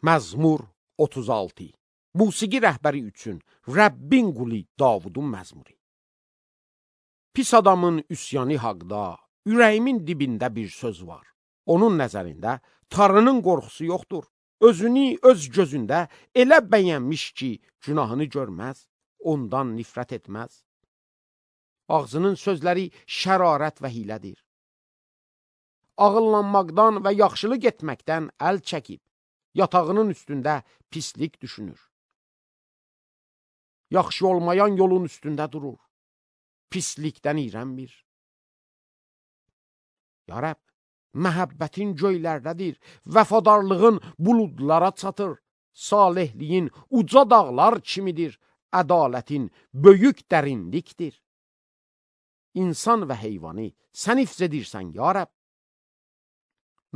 Məzmur 36. Musiqi rəhbəri üçün Rəbbin qulu Davudun məzmuru. Pis adamın üsyanı haqda, ürəyimin dibində bir söz var. Onun nəzərində Tanrının qorxusu yoxdur. Özünü öz gözündə elə bəyənmiş ki, günahını görməz, ondan nifrət etməz. Ağzının sözləri şərarət və hilədir. Ağıllanmaqdan və yaxşılıq etməkdən əl çəkib, yatağının üstündə pislik düşünür. Yaxşı olmayan yolun üstündə durur, pislikdən iyrənmir. Ya Rəbb, məhəbbətin göylərdədir, vəfadarlığın buludlara çatır, salihliyin uca dağlar kimidir, ədalətin böyük dərinlikdir. İnsan və heyvanı sən hifz edirsən, ya Rəbb.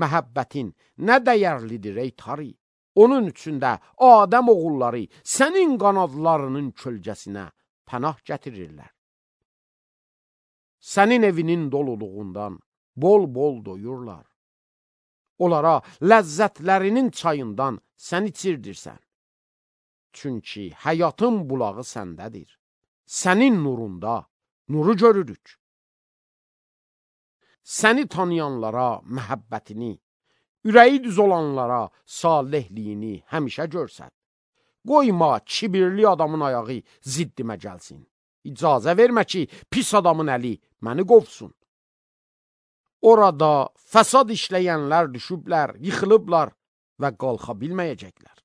Məhəbbətin nə dəyərlidir ey Tari, onun üçündə Adəm oğulları sənin qanadlarının kölgəsinə pənah gətirirlər. Sənin evinin doluluğundan bol-bol doyurlar. Onlara ləzzətlərinin çayından sən içirdirsən. Çünki həyatın bulağı səndədir. Sənin nurunda nuru görürük. Səni tanıyanlara məhəbbətini, ürəyi düz olanlara salihliyini həmişə görsət. Qoyma kibirli adamın ayağı ziddimə gəlsin. İcazə vermə ki, pis adamın əli məni qovsun. Orada fəsad işləyənlər düşüblər, yıxılıblar və qalxa bilməyəcəklər.